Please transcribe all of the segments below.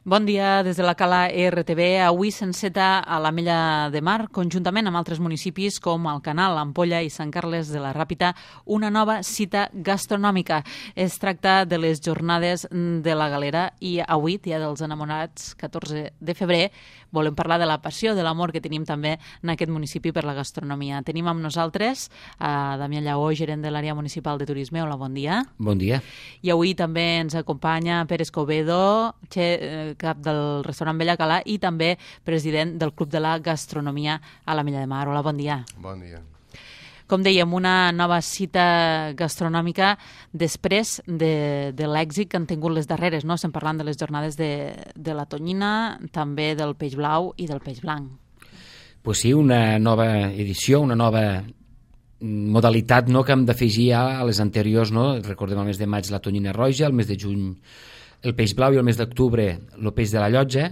Bon dia des de la Cala RTV. Avui s'enceta a l'Ametlla de Mar, conjuntament amb altres municipis com Alcanal, Ampolla i Sant Carles de la Ràpita, una nova cita gastronòmica. Es tracta de les jornades de la Galera i avui, dia dels enamorats, 14 de febrer, volem parlar de la passió, de l'amor que tenim també en aquest municipi per la gastronomia. Tenim amb nosaltres a Damià Lleó, gerent de l'àrea municipal de turisme. Hola, bon dia. Bon dia. I avui també ens acompanya Pere Escobedo, cap del restaurant Bella Cala i també president del Club de la Gastronomia a l'Ametlla de Mar. Hola, bon dia. Bon dia. Com dèiem, una nova cita gastronòmica després de l'èxit que han tingut les darreres, no? Estem parlant de les jornades de la tonyina, també del peix blau i del peix blanc. Pues sí, una nova edició, una nova modalitat, no?, que hem d'afegir a les anteriors, no? Recordem el mes de maig la tonyina roja, el mes de juny el peix blau i el mes d'octubre el peix de la llotja,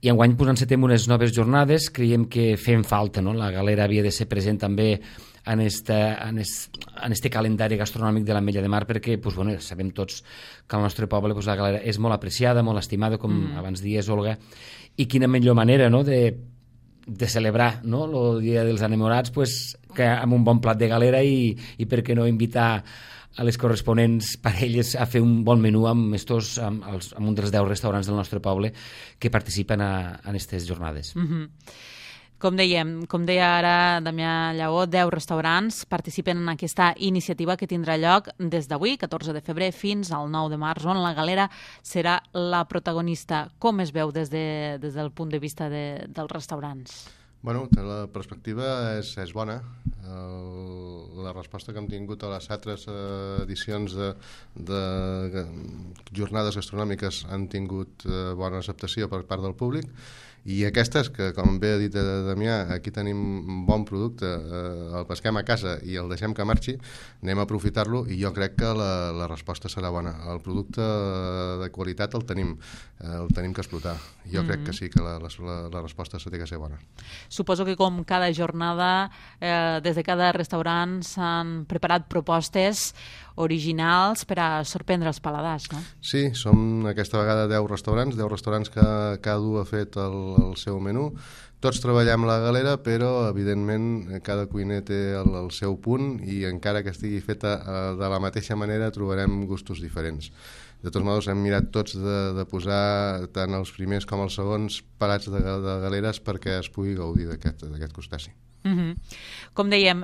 i enguany encetem unes noves jornades. Creiem que fem falta, no? La Galera havia de ser present també en este calendari gastronòmic de l'Ametlla de Mar, perquè sabem tots que al nostre poble la Galera és molt apreciada, molt estimada, com abans dies, Olga, i quina millor manera, no?, de celebrar, no?, el dia dels enamorats, que amb un bon plat de galera i per què no invitar a les corresponents parelles a fer un bon menú amb un dels 10 restaurants del nostre poble que participen en aquestes jornades. Com deia ara Damià Lleó, 10 restaurants participen en aquesta iniciativa que tindrà lloc des d'avui, 14 de febrer, fins al 9 de març, on la Galera serà la protagonista. Com es veu des del punt de vista dels restaurants? Bueno, la perspectiva és bona. La resposta que hem tingut a les altres edicions de jornades gastronòmiques han tingut bona acceptació per part del públic, i aquestes, que com bé ha dit Damià, aquí tenim un bon producte, el pesquem a casa i el deixem que marxi, anem a aprofitar-lo, i jo crec que la resposta serà bona. El producte de qualitat el tenim que explotar. Jo crec que sí, que la resposta s'ha de ser bona. Suposo que com cada jornada, des de cada restaurant s'han preparat propostes originals per a sorprendre els paladars, no? Sí, som aquesta vegada 10 restaurants que cada un ha fet el seu menú. Tots treballem la galera, però evidentment cada cuiner té el seu punt, i encara que estigui feta de la mateixa manera trobarem gustos diferents. De tots modos, hem mirat tots de posar tant els primers com els segons plats de galeres perquè es pugui gaudir d'aquest crustaci. Com dèiem,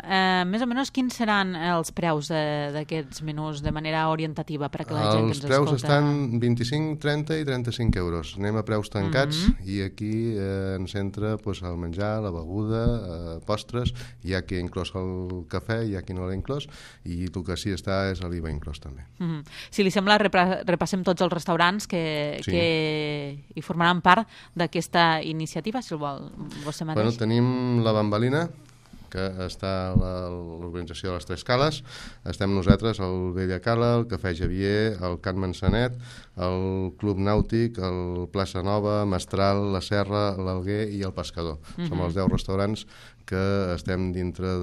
més o menys quins seran els preus d'aquests menús de manera orientativa per a que la gent que ens escolta... Els preus estan 25, 30 i 35 euros. Anem a preus tancats, i aquí ens entra el menjar, la beguda, postres. Hi ha qui ha inclòs el cafè, hi ha qui no l'ha inclòs, i el que sí està és l'IVA inclòs també. Si li sembla, repassem tots els restaurants que hi formaran part d'aquesta iniciativa, si el vol vostè mateix. Bueno, tenim la Bambalina, que està a l'organització de les Tres Cales. Estem nosaltres, el Bella Cala, el Cafè Javier, el Can Mansanet, el Club Nàutic, el Plaça Nova, Mestral, la Serra, l'Alguer i el Pescador. Som els 10 restaurants que estem dintre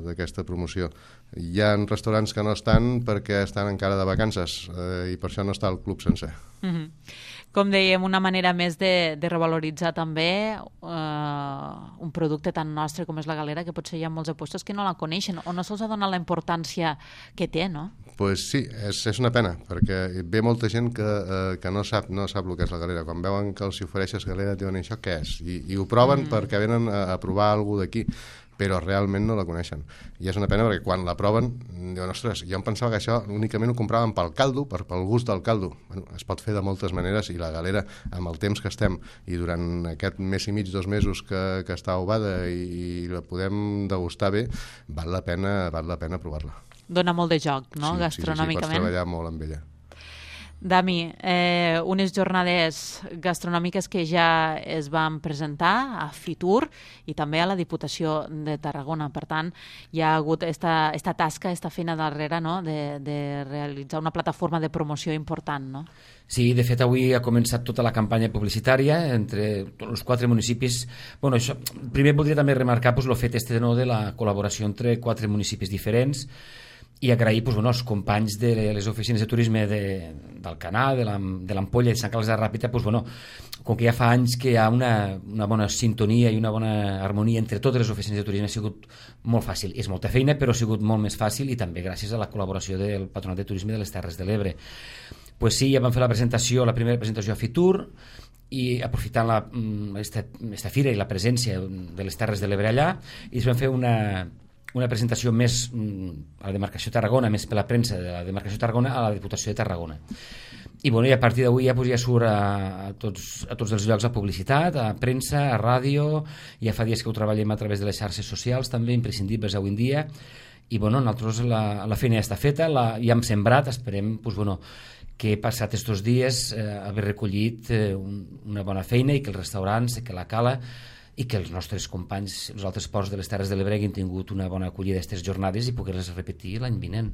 d'aquesta promoció. Hi ha restaurants que no estan perquè estan encara de vacances, i per això no està el club sencer. Com dèiem, una manera més de revaloritzar també un producte tan nostre com és la galera, que potser hi ha molts apostos que no la coneixen o no se'ls ha donat la importància que té, no? Pues sí, és una pena, perquè ve molta gent que no sap el que és la galera. Quan veuen que els ofereixes galera diuen això què és, i ho proven perquè venen a provar alguna d'aquí, però realment no la coneixen. I és una pena perquè quan la proven diuen, ostres, jo em pensava que això únicament ho compraven pel caldo, pel gust del caldo. Bueno, es pot fer de moltes maneres, i la galera, amb el temps que estem i durant aquest mes i mig, 2 mesos que està ovada i la podem degustar bé, val la pena provar-la. Dona molt de joc, no?, gastronòmicament. Sí, pots treballar molt amb ella. Dami, unes jornades gastronòmiques que ja es van presentar a Fitur i també a la Diputació de Tarragona. Per tant, hi ha hagut esta tasca, esta feina darrere, no?, de realitzar una plataforma de promoció important, no? Sí, de fet, avui ha començat tota la campanya publicitària entre tots els 4 municipis. Bueno, això, primer voldria també remarcar el fet de la col·laboració entre 4 municipis diferents, i agrair als companys de les oficines de turisme d'Alcanar, de l'Ampolla i de Sant Carles de la Ràpita, com que ja fa anys que hi ha una bona sintonia i una bona harmonia entre totes les oficines de turisme, ha sigut molt fàcil. És molta feina, però ha sigut molt més fàcil, i també gràcies a la col·laboració del Patronat de Turisme de les Terres de l'Ebre. Sí, ja vam fer la primera presentació a Fitur, i aprofitant aquesta fira i la presència de les Terres de l'Ebre allà, i vam fer una presentació més a la demarcació de Tarragona, més per la premsa de la demarcació de Tarragona, a la Diputació de Tarragona. I a partir d'avui ja surt a tots els llocs a publicitat, a premsa, a ràdio, ja fa dies que ho treballem a través de les xarxes socials, també imprescindibles avui en dia, i nosaltres la feina ja està feta, ja hem sembrat, esperem que he passat estos dies haver recollit una bona feina, i que els restaurants, que la Cala i que els nostres companys, els altres ports de les Terres de l'Ebre, hagin tingut una bona acollida d'aquestes jornades i poder-les repetir l'any vinent.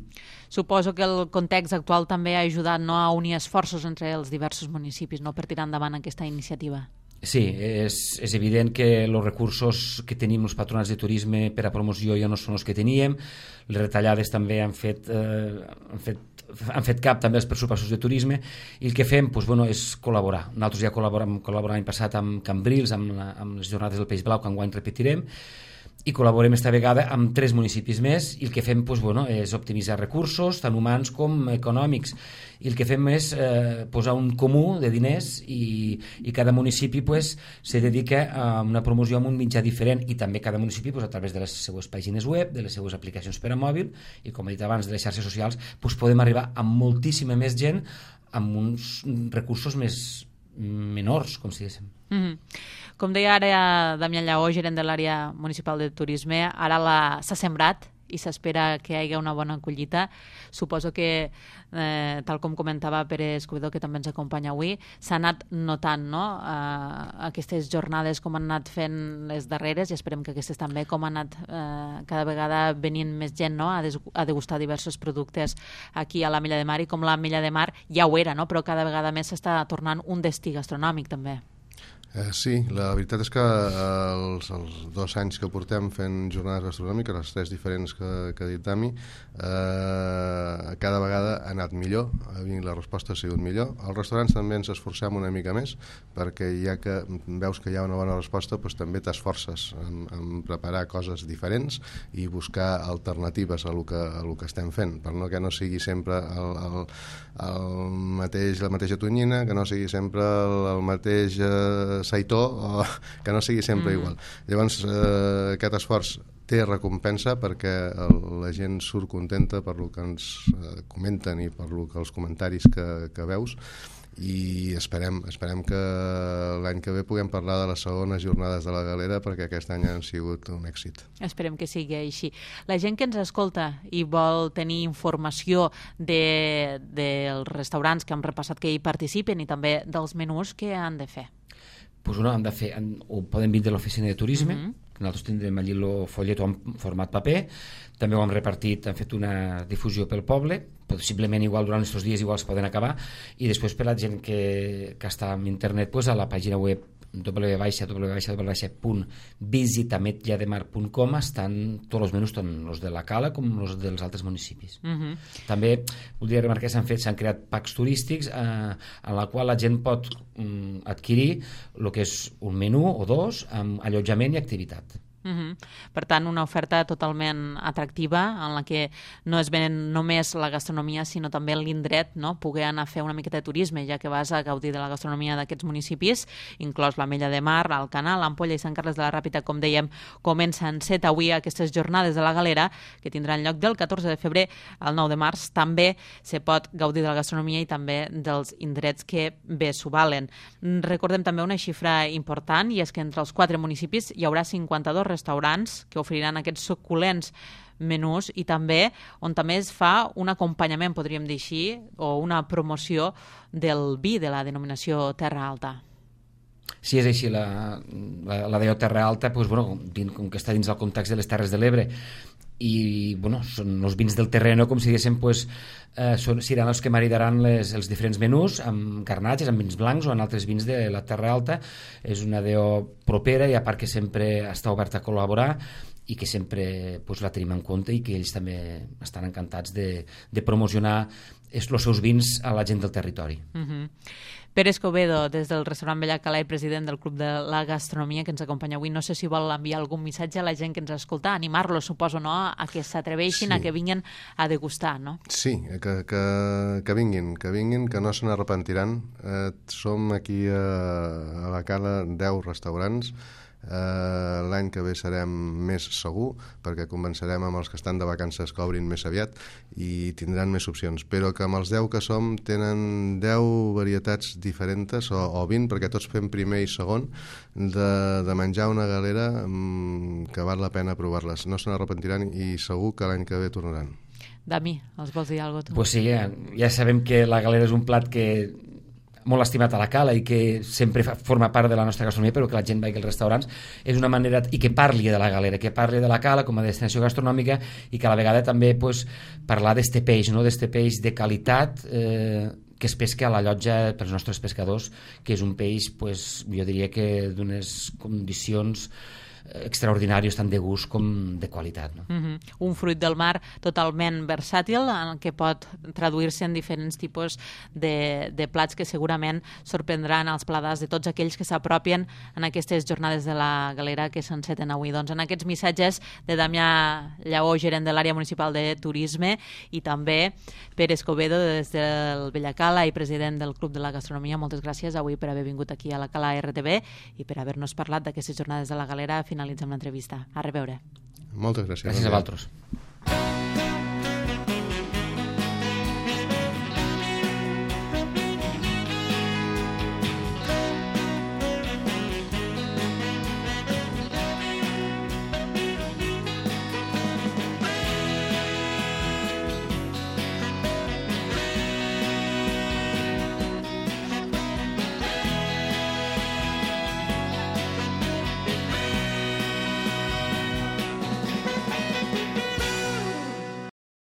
Suposo que el context actual també ha ajudat a unir esforços entre els diversos municipis per tirar endavant aquesta iniciativa. Sí, és evident que els recursos que tenim els patronats de turisme per a promoció ja no són els que teníem, les retallades també han fet cap també els pressupostos de turisme, i el que fem és col·laborar. Nosaltres ja col·laborem l'any passat amb Cambrils, amb les jornades del Peix Blau, que enguany repetirem, i col·laborem esta vegada amb 3 municipis més, i el que fem és optimitzar recursos, tant humans com econòmics, i el que fem és posar un comú de diners, i cada municipi se dedica a una promoció amb un mitjà diferent, i també cada municipi a través de les seues pàgines web, de les seues aplicacions per a mòbil, i com he dit abans, de les xarxes socials, podem arribar a moltíssima més gent amb uns recursos menors, com si diguéssim. Com deia ara Damià Lleó, gerent de l'àrea municipal de turisme, ara s'ha sembrat i s'espera que hi hagi una bona collita. Suposo que, tal com comentava Pere Escudero, que també ens acompanya avui, s'ha anat notant aquestes jornades com han anat fent les darreres, i esperem que aquestes també, com han anat cada vegada venint més gent a degustar diversos productes aquí a l'Ametlla de Mar, i com l'Ametlla de Mar ja ho era, però cada vegada més s'està tornant un destí gastronòmic també. Sí, la veritat és que els 2 anys que portem fent jornades gastronòmiques, les 3 diferents que ha dit Dami, cada vegada ha anat millor, la resposta ha sigut millor. Als restaurants també ens esforcem una mica més, perquè ja que veus que hi ha una bona resposta, també t'esforces en preparar coses diferents i buscar alternatives a lo que estem fent, per que no sigui sempre la mateixa tonyina, que no sigui sempre el mateix saitó, que no sigui sempre igual. Llavors, aquest esforç té recompensa, perquè la gent surt contenta per lo que ens comenten i per lo que els comentaris que veus, i esperem que l'any que ve puguem parlar de les segones jornades de la Galera, perquè aquest any han sigut un èxit. Esperem que sigui així. La gent que ens escolta i vol tenir informació dels restaurants que hem repassat que hi participen, i també dels menús, què han de fer? Han de fer, ho poden vindre a l'oficina de turisme, nosaltres tindrem allí el follet en format paper, també ho hem repartit, hem fet una difusió pel poble, possiblement igual durant aquests dies igual es poden acabar, i després per la gent que està en internet, a la pàgina web www.visitametllademar.com estan tots els menús, tant els de la Cala com els dels altres municipis. També voldria remarcar que s'han creat packs turístics en la qual la gent pot adquirir el que és un menú o 2 amb allotjament i activitat. Per tant, una oferta totalment atractiva, en la que no es ven només la gastronomia, sinó també l'indret, poder anar a fer una miqueta de turisme, ja que vas a gaudir de la gastronomia d'aquests municipis, inclòs l'Ametlla de Mar, l'Alcanar, l'Ampolla i Sant Carles de la Ràpita. Com dèiem, comencen 7 avui aquestes jornades de la Galera, que tindran lloc del 14 de febrer al 9 de març. També se pot gaudir de la gastronomia i també dels indrets que bé s'ho valen. Recordem també una xifra important, i és que entre els 4 municipis hi haurà 52 restaurants que oferiran aquests suculents menús, i també on també es fa un acompanyament, podríem dir així, o una promoció del vi de la denominació Terra Alta. Sí, és així, la DO Terra Alta, com que està dins del context de les Terres de l'Ebre, i són els vins del terreno, com si diguéssim, seran els que maridaran els diferents menús amb garnatges, amb vins blancs o en altres vins de la Terra Alta. És una DO propera, i a part que sempre està oberta a col·laborar, i que sempre la tenim en compte i que ells també estan encantats de promocionar els seus vins a la gent del territori. Pere Escobedo, des del restaurant Bella Cala i president del Club de la Gastronomia, que ens acompanya avui. No sé si vol enviar algun missatge a la gent que ens escolta, animar-los, suposo, no?, a que s'atreveixin, a que vinguin a degustar, no? Sí, que vinguin, que no se n'arrepentiran. Som aquí a la Cala 10 restaurants. L'any que ve serem més segur, perquè convencerem amb els que estan de vacances que obrin més aviat i tindran més opcions, però que amb els 10 que som tenen 10 varietats diferents o 20, perquè tots fem primer i segon de menjar una galera que val la pena provar-les. No se n'arrepentiran i segur que l'any que ve tornaran. Dami, els vols dir alguna cosa tu? Pues sí, ja sabem que la galera és un plat que molt estimat a la Cala i que sempre forma part de la nostra gastronomia, però que la gent vagi als restaurants és una manera, i que parli de la galera, que parli de la Cala com a destinació gastronòmica i que a la vegada també parlar d'este peix, no?, d'este peix de qualitat que es pesca a la llotja pels nostres pescadors, que és un peix, jo diria que d'unes condicions extraordinàries, tant de gust com de qualitat, no? Un fruit del mar totalment versàtil, en què pot traduir-se en diferents tipus de plats que segurament sorprendran els paladars de tots aquells que s'apropien en aquestes jornades de la galera que s'enceten avui. Doncs en aquests missatges de Damià Lleó, gerent de l'àrea municipal de turisme, i també Pere Escobedo, des del Bella Cala i president del Club de la Gastronomia, moltes gràcies avui per haver vingut aquí a la Cala RTV i per haver-nos parlat d'aquestes jornades de la galera. Finalitzem l'entrevista. A reveure. Moltes gràcies. Gràcies a vosaltres.